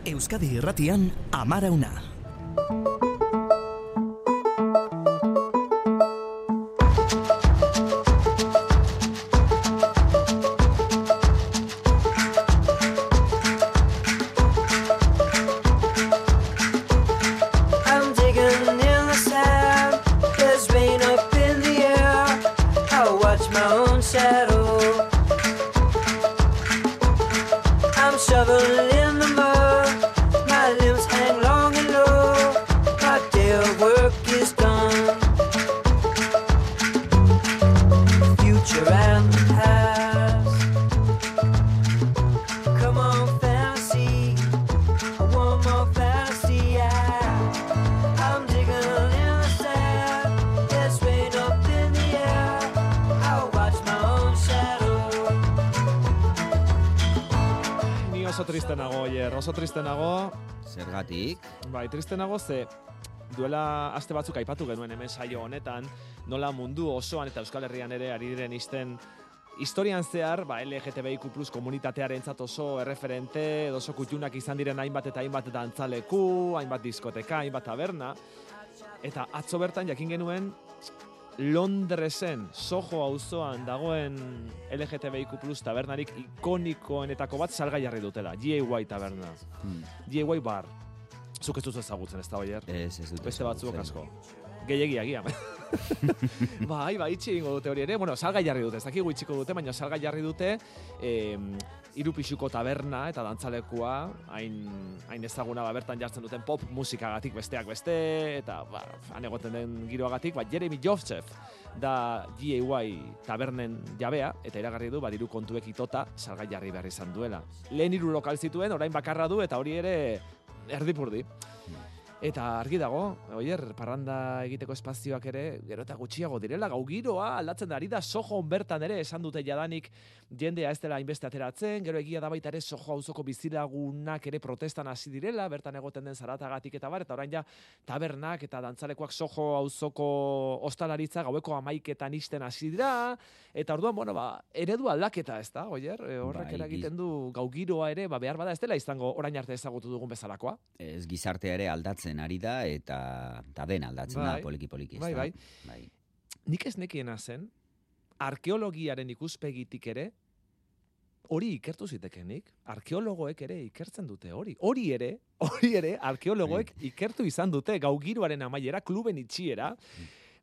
Euskadi Irratian, Amarauna. Oso triste nago. Zergatik? Bai, triste nago ze duela aste batzuk aipatu genuen hemen saio honetan, nola mundu osoan eta Euskal Herrian ere ari diren isten historian zehar, LGTBIQ+ komunitatearentzat oso erreferente, edo oso kutxunak izan diren hainbat eta hainbat dantzaleku, hainbat diskoteka, hainbat taberna. Eta atzo bertan jakin genuen Londresen, Soho auzoan dagoen LGTBIQ+ tabernarik ikonikoenetako bat salgai jarri dutela, GAY taberna. GAY bar. Zuk ez duzu ezagutzen, ez da, Oier? Ez dut. Beste batzuk asko. Gehiagia agian. Bai, itxi egingo dute hori ere. Bueno, salgai jarri dute, ez dakigu itxiko dute, baina salgai jarri dute hiru pisuko taberna eta dantzalekua, hain ezaguna bertan jartzen duten pop musikagatik besteak beste, eta han egoten den giroagatik, Jeremy Joseph da GAY tabernen jabea, eta iragarri du diru kontuek itota salgai jarri behar izan duela. Lehen 3 lokal zituen, orain bakarra du, eta hori ere erdipurdi. Eta argi dago, Oier, parranda egiteko espazioak ere, gero eta gutxiago direla, gau giroa aldatzen ari da, Sohon bertan ere esan dute jadanik jendea ez dela hainbeste ateratzen, gero egia da baita ere Soho auzoko bizilagunak ere protestan hasi direla, bertan egoten den zaratagatik eta bar, eta orain ja tabernak eta dantzalekoak Soho auzoko ostalaritza gaueko 11etan ixten hasi dira, eta orduan, eredu aldaketa ez da, Oier, horrek eragiten du gau giroa ere, behar bada ez dela izango orain arte ezagutu dugun bezalakoa. Ez gizartea ere aldatzen ari da, eta den aldatzen da, poliki-poliki. Bai. Nik ez nekiena zen, arkeologiaren ikuspegitik ere, hori ikertu zitekenik, arkeologoek ere ikertzen dute hori. Hori ere, arkeologoek ikertu izan dute, gau giroaren amaiera, kluben itxiera.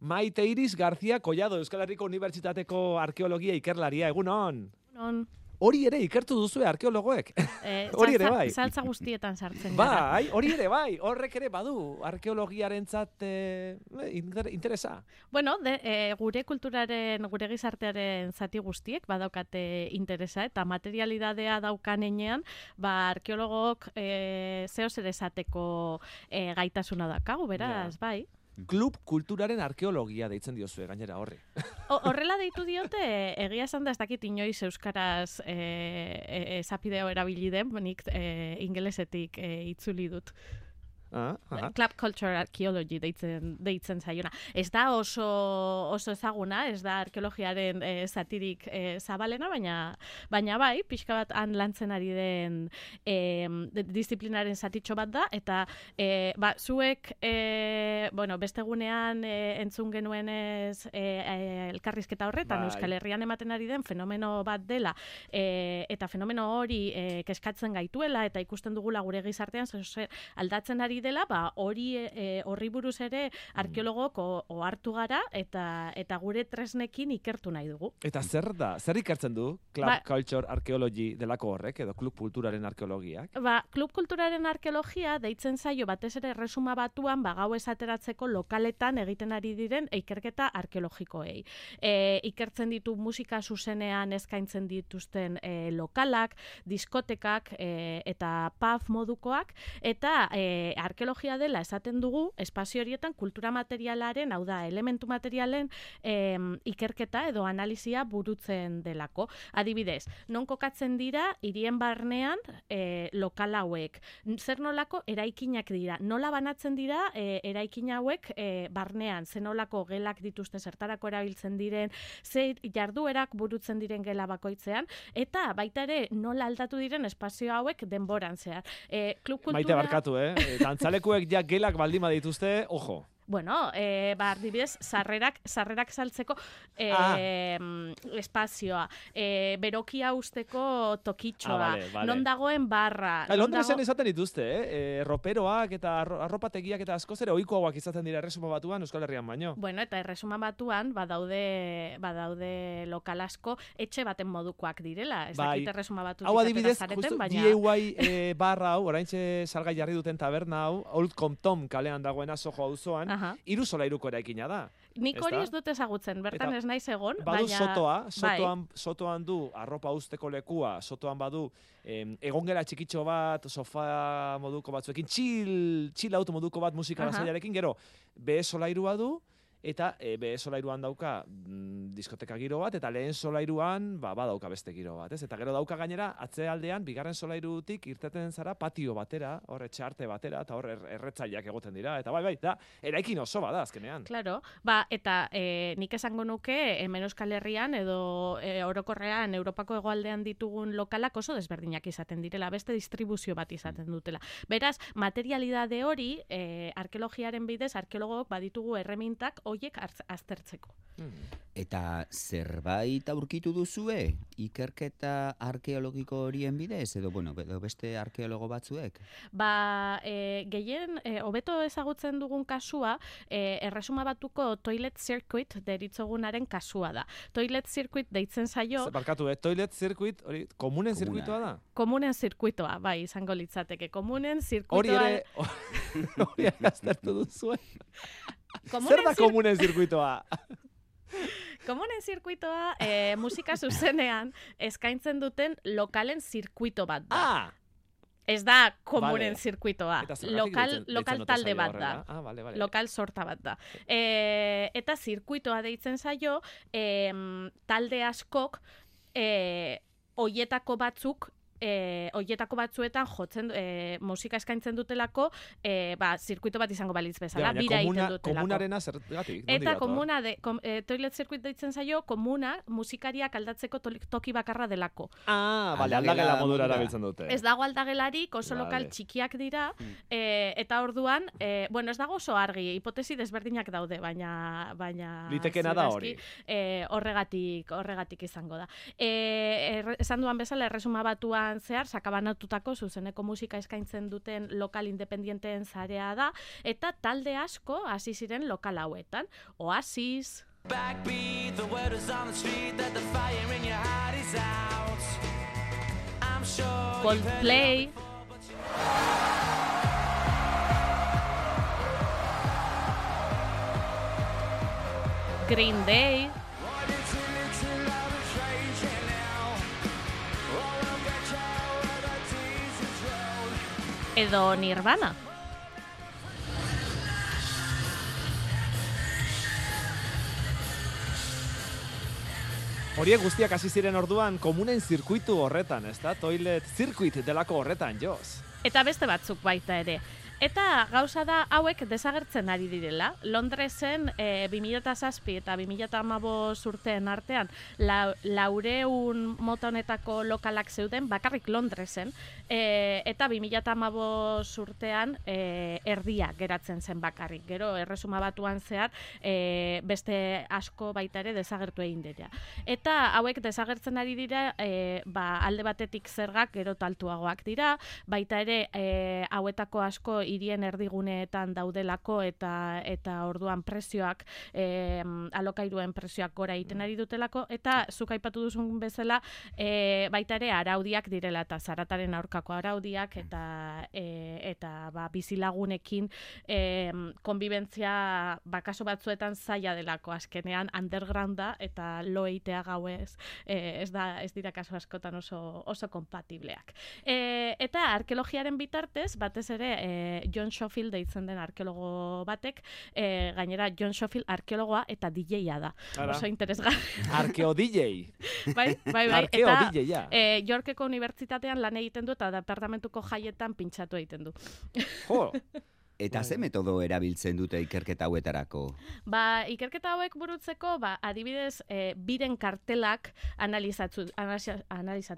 Maite Iris García Collado, Euskal Herriko Unibertsitateko arkeologia ikerlaria, egunon? Egunon. Hori ere ikertu duzue arkeologoek. Hori ere bai. Saltza guztietan sartzen gara. Bai, hori ere bai. Horrek ere badu arkeologiarentzat interesa. Bueno, gure kulturaren, gure gizartearen zati guztiek badaukate interesa, eta materialidadea daukanean, arkeologok zeo zer esateko gaitasuna daukagu, beraz, bai. Klub kulturaren arkeologia deitzen diozue, gainera horri. Horrela deitu diote, egia esan da ez dakit inoiz euskaraz esapideo erabili den, nik ingelesetik itzuli dut. Club Culture Archaeology deitzen zaiona. Ez da oso ezaguna, ez da arkeologiaren zatirik zabalena, baina bai, pixka bat han lantzen ari den disiplinaren zatitxo bat da, eta zuek beste egunean entzun genuenez elkarrizketa horretan, Euskal Herrian ematen ari den fenomeno bat dela, eta fenomeno hori keskatzen gaituela, eta ikusten dugula gure gizartean aldatzen ari dela, horri buruz ere arkeologok ohartu gara eta gure tresnekin ikertu nahi dugu. Eta zer da? Zer ikertzen du Club Culture Archaeology delako horrek, edo klub kulturaren arkeologiak? Klub kulturaren arkeologia deitzen zaio batez ere erresuma batuan gau esateratzeko lokaletan egiten ari diren ikerketa arkeologikoei. Ikertzen ditu musika zuzenean eskaintzen dituzten lokalak, diskotekak eta pub modukoak, eta arkeologia dela esaten dugu espazio horietan kultura materialaren, hau da, elementu materialen ikerketa edo analizia burutzen delako. Adibidez, non kokatzen dira hirien barnean lokal hauek. Zer nolako eraikinak dira. Nola banatzen dira eraikin hauek barnean. Zer nolako gelak dituzte zertarako erabiltzen diren, ze jarduerak burutzen diren gela bakoitzean, eta baita ere nola aldatu diren espazio hauek denboran zehar. Klub kultura... Maite barkatu, dantzalekuek ja gelak baldin badituzte, ojo. Bueno, adibidez, sarrerak saltzeko espazioa, berokia usteko tokitxoa, non dagoen barra. Londresen izaten dituzte, roperoak eta arropategiak eta askoz ere ohikoagoak izaten dira Erresuma Batuan, Euskal Herrian baino. Bueno, eta Erresuma Batuan badaude lokal asko etxe baten modukoak direla. Ez dakit Erresuma Batutik atera zareten, baina... Hau adibidez, DIY barra hau, oraintxe salgai jarri duten taberna hau, Old Compton kalean dagoena Soho auzoan, 3 solairuko eraikina da. Nik hori ez dut ezagutzen, bertan ez naiz egon, badu sotoan du arropa usteko lekua, sotoan badu egongela txikitxo bat, sofa moduko batzuekin, chill auto moduko bat musika lasaiarekin, gero, B solairua du, eta B solairuan dauka diskoteka giro bat, eta lehen solairuan badauka beste giro bat, ez? Eta gero dauka gainera, atzealdean, bigarren solairutik irteten zara patio batera, hor etxarte batera, eta hor erretzaileak egoten dira, eta bai, da, eraikin oso bada azkenean. Claro, eta nik esango nuke, hemen Euskal Herrian edo orokorrean Europako hegoaldean ditugun lokalak oso desberdinak izaten direla, beste distribuzio bat izaten dutela. Beraz, materialidade hori, arkeologiaren bidez, arkeologok baditugu erremintak hoiek aztertzeko. Eta zerbait aurkitu duzue ikerketa arkeologiko horien bidez edo beste arkeologo batzuek? Gehien hobeto ezagutzen dugun kasua Erresuma Batuko Toilet Circuit deritzogunaren kasua da. Toilet Circuit deitzen zaio... Barkatu, Toilet Circuit hori komunen zirkuitoa da? Komunen zirkuitoa, bai, izango litzateke. Komunen zirkuitoa... Hori ere aztertu duzue. Zer da komunen zirkuitoa? Komunen zirkuitoa musika zuzenean eskaintzen duten lokalen zirkuito bat da. Ez da komunen zirkuitoa. Lokal talde bat da. Lokal sorta bat da. Eta zirkuitoa deitzen zaio, talde askok hoietako batzuetan jotzen musika eskaintzen dutelako, zirkuito bat izango balitz bezala, bira egiten dutelako. Komunarena zergatik? Eta komuna, Toilet Circuit deitzen zaio, komuna musikariak aldatzeko toki bakarra delako. Aldagela modura erabiltzen dute. Ez dago aldagelarik, oso lokal txikiak dira, eta orduan, ez dago oso argi, hipotesi desberdinak daude, baina litekena da hori. Horregatik izango da. Esan duan bezala, Erresuma Batuan zehar, sakabanatutako zuzeneko musika eskaintzen duten lokal independienteen zarea da, eta talde asko hasi ziren lokal hauetan. Oasis, Backbeat, the word is on the street that the fire in your heart is out. I'm sure Coldplay, Green Day, edo Nirvana. Horiek guztiak hasi ziren orduan komunen zirkuitu horretan, ezta? Toilet Circuit delako horretan, Jos. Eta beste batzuk baita ere. Eta gauza da hauek desagertzen ari direla. Londresen 2007 eta 2015 urteen artean 400 mota honetako lokalak zeuden, bakarrik Londresen, eta 2015 urtean erdia geratzen zen bakarrik. Gero Erresuma Batuan zehar beste asko baita ere desagertu egin dira. Eta hauek desagertzen ari dira, alde batetik zergak gero altuagoak dira, baita ere hauetako asko hirien erdiguneetan daudelako eta orduan prezioak, alokairuen prezioak gora egiten ari dutelako, eta zuk aipatu duzun bezala baita ere araudiak direla, eta zarataren aurkako araudiak, eta bizilagunekin konbibentzia kasu batzuetan zaila delako, azkenean undergrounda eta lo eitea gauez ez dira kasu askotan oso kompatibleak. Eta arkeologiaren bitartez, batez ere John Schofield deitzen den arkeologo batek, gainera John Schofield arkeologoa eta DJ-a da. Oso interesgarri. Arkeo-DJ. Bai. Arkeo-DJ, ja. Yorkeko unibertsitatean lan egiten du eta departamentuko jaietan pintxatu egiten du. Jo! Eta ze metodo erabiltzen dute ikerketa hauetarako? Ikerketa hauek burutzeko, adibidez, biren kartelak analizatu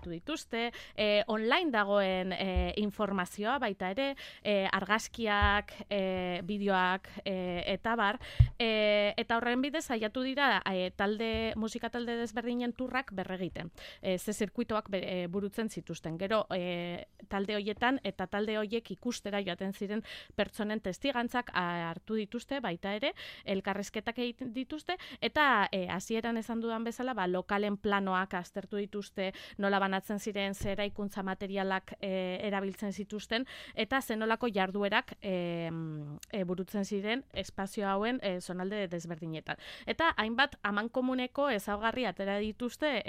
dituzte, online dagoen informazioa baita ere, argazkiak, bideoak, eta bar, eta horren bidez saiatu dira musika talde desberdinen turrak berregiten. Ze zirkuitoak burutzen zituzten. Gero, talde hoietan eta talde hoiek ikustera joaten ziren pertsonen testigantzak hartu dituzte, baita ere, elkarrizketak egiten dituzte, eta hasieran esan dudan bezala, lokalen planoak aztertu dituzte, nola banatzen ziren, zer eraikuntza materialak erabiltzen zituzten, eta zenolako jarduerak burutzen ziren espazio hauen zonalde desberdinetan. Eta hainbat amankomuneko ezaugarri atera dituzte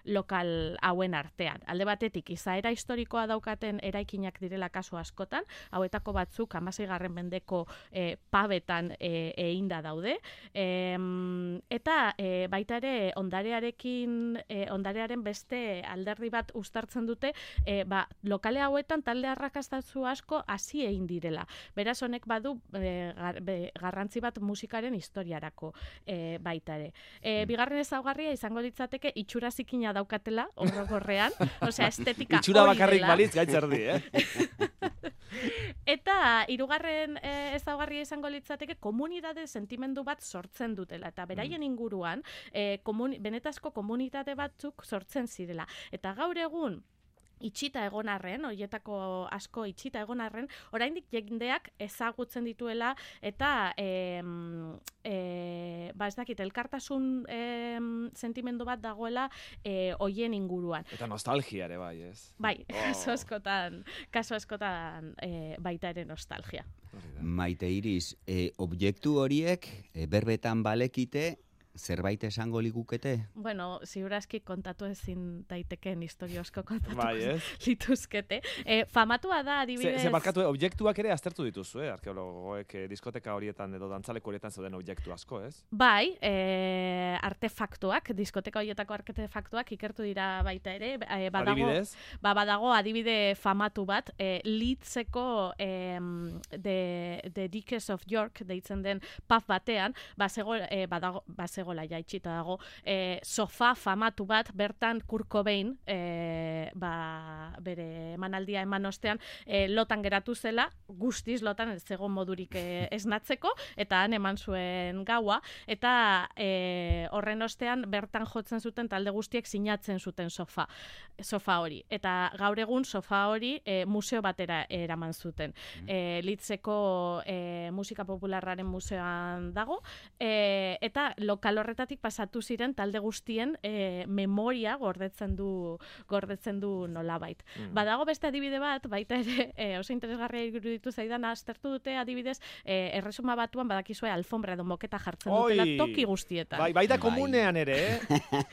lokal hauen artean. Alde batetik, izaera historikoa daukaten eraikinak direla kasu askotan, hauetako batzuk 16. mendeko pabetan einda daude, eta baita ere ondarearen beste alderdi bat uztartzen dute, lokale hauetan talde arrakastatsu asko hasi egin direla. Beraz, honek badu garrantzi bat musikaren historiarako baita ere. Bigarren ezaugarria izango litzateke itxura zikina daukatela, orokorrean, osea estetika itxura bakarrik balitz gaitzerdi, Eta hirugarren ezaugarria izango litzateke komunitate sentimendu bat sortzen dutela eta beraien inguruan benetazko komunitate batzuk sortzen zirela. Eta gaur egun itxita egon arren, horietako asko itxita egon arren, oraindik jendeak ezagutzen dituela eta ez dakit, elkartasun sentimendu bat dagoela hoien inguruan. Eta nostalgia ere bai, ez? Bai, kaso askotan baita ere nostalgia. Maite Iris, objektu horiek berbetan balekite, zerbait esango ligukete? Bueno, ziurazki kontatu ezin daitekeen historio asko kontatuko lituzkete. Famatua da, adibidez... Ze barkatu, objektuak ere aztertu dituzu, arkeologoek diskoteka horietan edo dantzaleko horietan zeuden objektu asko, ez? Bai, artefaktuak, diskoteka horietako artefaktuak ikertu dira baita ere. Adibidez? Badago adibide famatu bat, Leedseko The Duchess of York deitzen den pub batean, bazegola jaitxita dago, sofa famatu bat, bertan Kurt Cobain, bere emanaldia eman ostean, lotan geratu zela, guztiz lotan ez zegoen modurik esnatzeko, eta han eman zuen gaua, eta horren ostean bertan jotzen zuten talde guztiek sinatzen zuten sofa hori. Eta gaur egun sofa hori museo batera eraman zuten. Leedseko musika popularraren museoan dago, eta lokal horretatik pasatu ziren talde guztien memoria gordetzen du nolabait. Badago beste adibide bat, baita ere oso interesgarria iruditu zaidan, aztertu dute adibidez Erresuma Batuan badakizue alfombra edo moketa jartzen dutela toki guztietan. Baita komunean ere,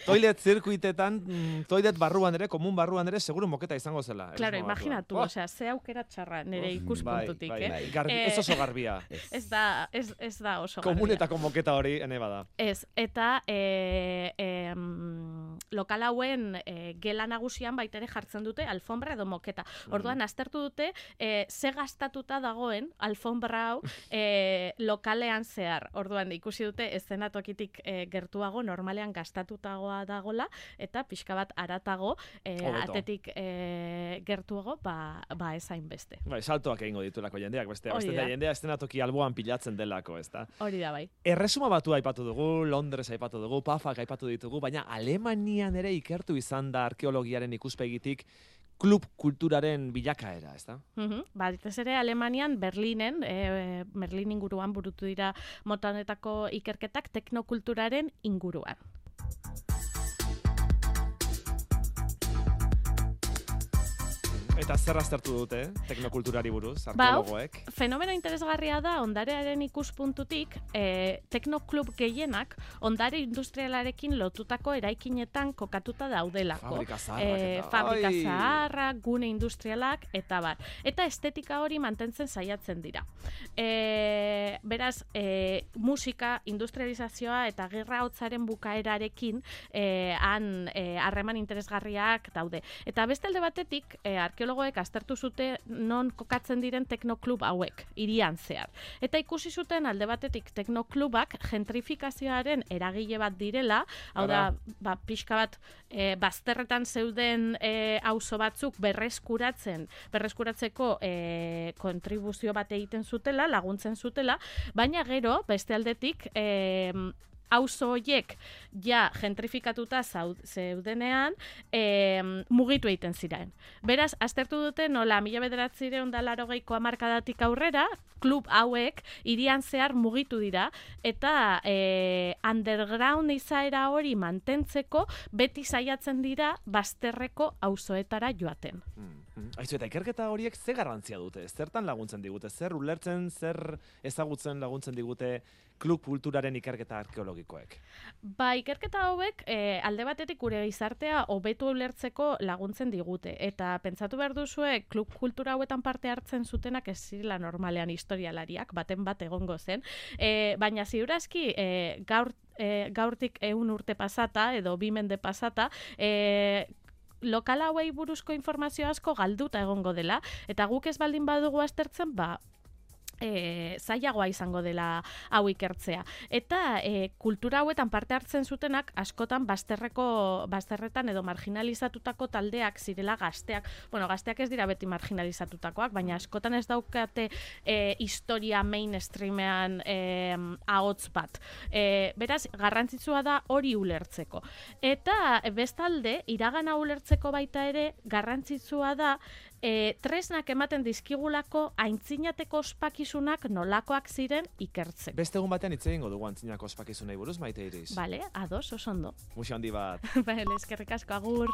toilet zirkuitetan, toilet barruan ere, komun barruan ere, seguru moketa izango zela. Claro, imaginatu, osea, ze aukera txarra nire ikuspuntutik, Ez oso garbia. Ez da oso garbia. Komunetako moketa hori, ene bada. Ez, eta lokal hauen gela nagusian baita ere jartzen dute alfombra edo moketa. Orduan, aztertu dute ze gastatuta dagoen alfombra hau lokalean zehar. Orduan, ikusi dute eszenatokitik gertuago, normalean gastatutagoa dagola, eta pixka bat aratago, atetik gertuago, ezain beste. Saltoak egingo ditulako jendeak, beste jendea eszenatoki alboan pilatzen delako, ez da? Hori da, bai. Erresuma Batua aipatu dugu, Londres aipatu dugu, Pafak aipatu ditugu, baina Alemanian ere ikertu izan da arkeologiaren ikuspegitik klub kulturaren bilakaera, ez da? Batez ere Alemanian, Berlinen, Berlin inguruan burutu dira mota honetako ikerketak teknokulturaren inguruan. Eta zer aztertu dute, teknokulturari buruz, arkeologoek? Fenomeno interesgarria da, ondarearen ikuspuntutik, teknoklub gehienak ondare industrialarekin lotutako eraikinetan kokatuta daudelako. Fabrika zaharrak Fabrika zaharrak, gune industrialak, eta bar. Eta estetika hori mantentzen saiatzen dira. Beraz, musika, industrializazioa eta gerra hotzaren bukaerarekin harreman interesgarriak daude. Eta beste alde batetik, arkeologoek aztertu zute non kokatzen diren teknoklub hauek, hirian zehar. Eta ikusi zuten alde batetik teknoklubak gentrifikazioaren eragile bat direla, hau da, pixka bat bazterretan zeuden auzo batzuk berreskuratzeko kontribuzio bat egiten zutela, laguntzen zutela, baina gero, beste aldetik, auzo horiek ja gentrifikatuta zeudenean mugitu egiten ziren. Beraz, aztertu dute nola 1980ko hamarkadatik aurrera, klub hauek hirian zehar mugitu dira eta underground izaera hori mantentzeko beti saiatzen dira bazterreko auzoetara joaten. Aizu, eta ikerketa horiek ze garrantzia dute? Zertan laguntzen digute? Zer ulertzen, zer ezagutzen laguntzen digute klub kulturaren ikerketa arkeologikoek? Ikerketa hauek alde batetik gure gizartea hobetu ulertzeko laguntzen digute. Eta pentsatu behar duzue, klub kultura hauetan parte hartzen zutenak ez zirela normalean historialariak, baten bat egongo zen. Baina ziurazki gaurtik 100 urte pasata, edo 2 mende pasata, lokal hauei buruzko informazio asko galduta egongo dela, eta guk ez baldin badugu aztertzen, zailagoa izango dela hau ikertzea. Eta kultura hauetan parte hartzen zutenak askotan bazterretan edo marginalizatutako taldeak zirela gazteak. Bueno, gazteak ez dira beti marginalizatutakoak, baina askotan ez daukate historia mainstreamean ahots bat. Beraz, garrantzitsua da hori ulertzeko. Eta bestalde, iragana ulertzeko baita ere, garrantzitsua da tresnak ematen dizkigulako aintzinateko ospakizunak nolakoak ziren ikertzeko. Beste egun batean hitz egingo dugu aintzinako ospakizunei buruz, Maite Iris. Bale, ados, oso ondo. Muxo handi bat. Bale, eskerrik asko, agur.